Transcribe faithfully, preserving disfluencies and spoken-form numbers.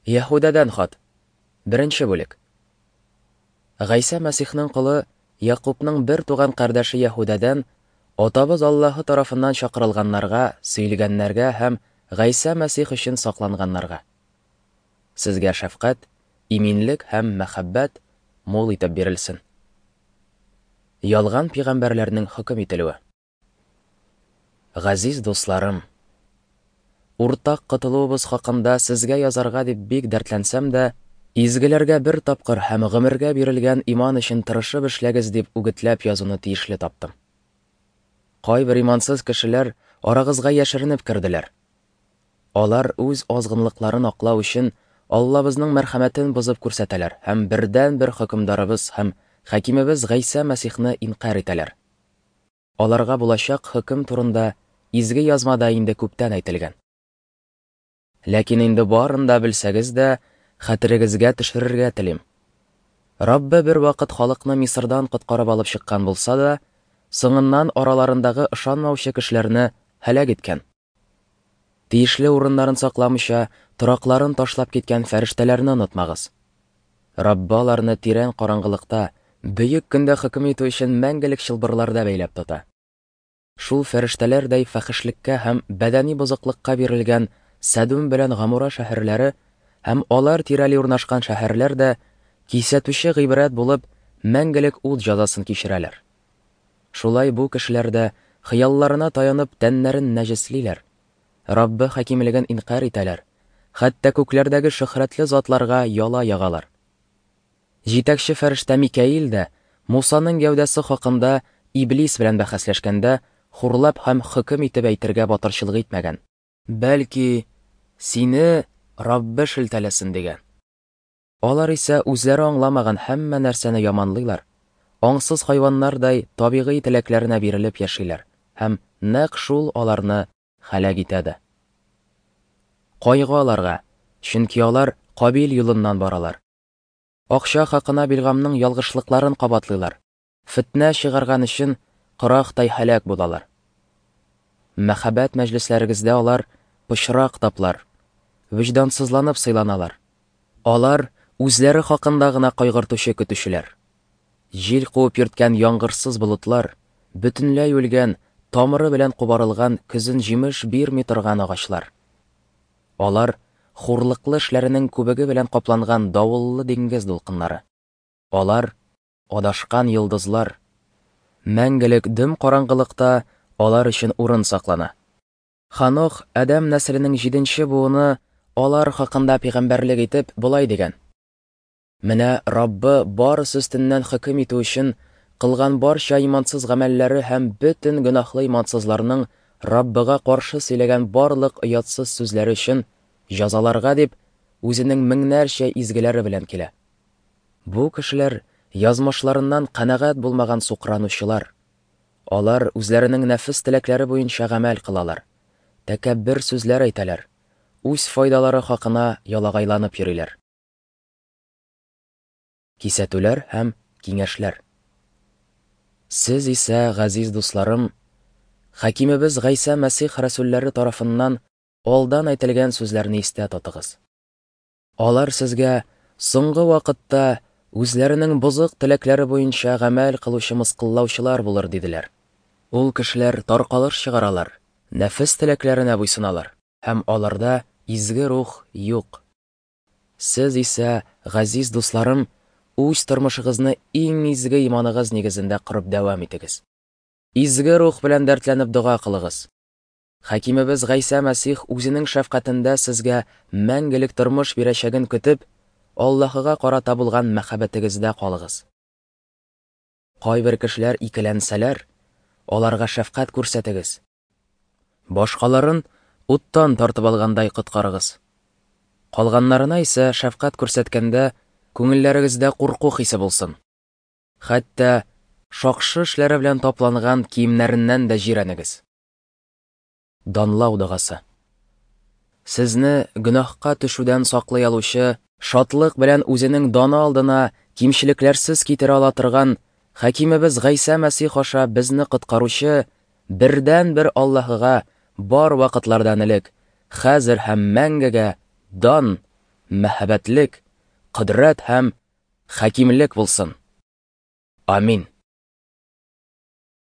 Яһүдәдән хат. Беренче бүлек. Гайсә Мәсихнең колы Якубның бер туган кардәше Яһүдәдән Атабыз Аллаһы тарафыннан чакырылганнарга, сөелгәннәргә һәм Гайсә Мәсих өчен сакланганнарга. Сезгә шәфкать, иминлек һәм мәхәббәт мул итеп бирелсен. Ялган пәйгамбәрләрнең хөкем ителүе. Газиз дусларым, уртак котылуыбыз хакында сезгә язарга дип бик дәртләнсәм дә, изгеләргә бер тапкыр һәм гомергә бирелгән иман өчен тырышып эшләгез дип үгетләп язуны тиешле таптым. Кайбер имансыз кешеләр арагызга яшеренеп керделәр. Алар үз азгынлыкларын аклау өчен Аллабызның мәрхәмәтен бозып күрсәтәләр һәм бердән-бер хөкемдарыбыз һәм хакимебез Гайсә Мәсихне инкарь итәләр. Аларга булачак хөкем турында изге язмада инде күптән әйтелгән. Ләкин инде барын да белсәгез дә, хәтерегезгә төшерергә телим. Раббы бер вакыт халыкны Мисырдан коткарып алып чыккан булса да, соңыннан араларындагы ышанмаучы кешеләрне һәлак иткән. Тиешле урыннарын сакламыйча, торакларын ташлап киткән фәрештәләрне онытмагыз. Раббы аларны тирән караңгылыкта, бөек көндә хөкем итү өчен мәңгелек чылбырларда бәйләп тота. Шул фәрештәләрдәй фәхишлеккә һәм бәдәни бозыклыкка бирелгән Сәдүм белән Гамура шәһәрләре һәм алар тирәли урнашкан шәһәрләр дә кисәтүче гыйбрәт булып мәңгелек ут җәзасын кичерәләр. Шулай бу кешеләр дә хыялларына таянып тәннәрен нәҗеслиләр. Раббы хакимлеген инкарь итәләр, хәтта күкләрдәге шөһрәтле затларга яла ягалар. Җитәкче фәрештә Микаил дә Мусаның гәүдәсе хакында Иблис белән бәхәсләшкәндә хурлап һәм хөкем итеп әйтергә батырчылык итмәгән. Бәлки сине Раббы шелтәләсен дигән. Алар исә үзләре аңламаган һәммә нәрсәне яманлыйлар, аңсыз хайваннардай табигый теләкләренә бирелеп яшиләр һәм нәкъ шул аларны һәлак итә дә. Кайгы аларга, чөнки алар Кабил юлыннан баралар. Акча хакына Билгамның ялгышлыкларын кабатлыйлар. Фитнә чыгарган өчен кырактай һәлак булалар. Мәхәббәт мәҗлесләрегездә алар пычрак таплар, вөҗдансызланып сыйланалар. Алар үзләре хакында гына кайгыртучы көтүчеләр. Җил куып йөрткән яңгырсыз болытлар, бөтенләй үлгән, тамыры белән кубарылган көзен җимеш бирми торган агачлар. Алар хурлыклы эшләренең күбеге белән капланган давыллы диңгез дулкыннары. Алар адашкан йолдызлар. Мәңгелек дөм караңгылыкта алар өчен урын саклана. Ханох, Адәм нәселенең җиденче буыны, алар хакында пәйгамбәрлек итеп болай дигән: Менә Раббы барысы өстеннән хөкем итү өчен кылган барча имансыз гамәлләре һәм бөтен гөнаһлы имансызларның Раббыга каршы сөйләгән барлык оятсыз сүзләре өчен җәзаларга дип үзенең меңнәрчә изгеләре белән килә. Бу кешеләр язмышларыннан канәгать булмаган сукранучылар. Алар үзләренең нәфес теләкләре буенча гамәл кылалар, тәкәббер сүзләр әйтәләр, үз файдалары хакына ялагайланып йөриләр. Кисәтүләр һәм киңәшләр. Сез исә, газиз дусларым, хакимебез Гайсә Мәсих рәсүлләре тарафыннан алдан әйтелгән сүзләрне истә тотыгыз. Алар сезгә соңгы вакытта үзләренең бозык теләкләре буенча гамәл кылучы мыскыллаучылар булыр диделәр. Ул кешеләр таркалыш чыгаралар, нәфес теләкләренә буйсыналар һәм аларда изге рух юк. Сез исә, газиз дусларым, үз тормышыгызны иң изге иманыгыз нигезендә корып дәвам итегез. Изге рух белән дәртләнеп дога кылыгыз. Хакимебез Гайсә Мәсих үзенең шәфкатендә сезгә мәңгелек тормыш бирәчәген көтеп, Аллаһыга карата булган мәхәббәтегездә калыгыз. Кайбер кешеләр икеләнсәләр, аларга шәфкать күрсәтегез. Башкаларын уттан тартып алгандай коткарыгыз. Калганнарына исә шәфкать күрсәткәндә күңелләрегездә курку хисе булсын. Хәтта шакшы эшләре белән тапланган киемнәреннән дә җирәнегез. Данлау догасы. Сезне гөнаһка төшүдән саклый алучы, шатлык белән үзенең даны алдына кимчелекләрсез китерә ала торган Хакимебез Гайсә Мәсих аша безне коткаручы бердән-бер Аллаһыга бар вакытлардан элек, хәзер һәм мәңгегә дан, мәһабәтлек, кодрәт һәм хакимлек булсын. Амин.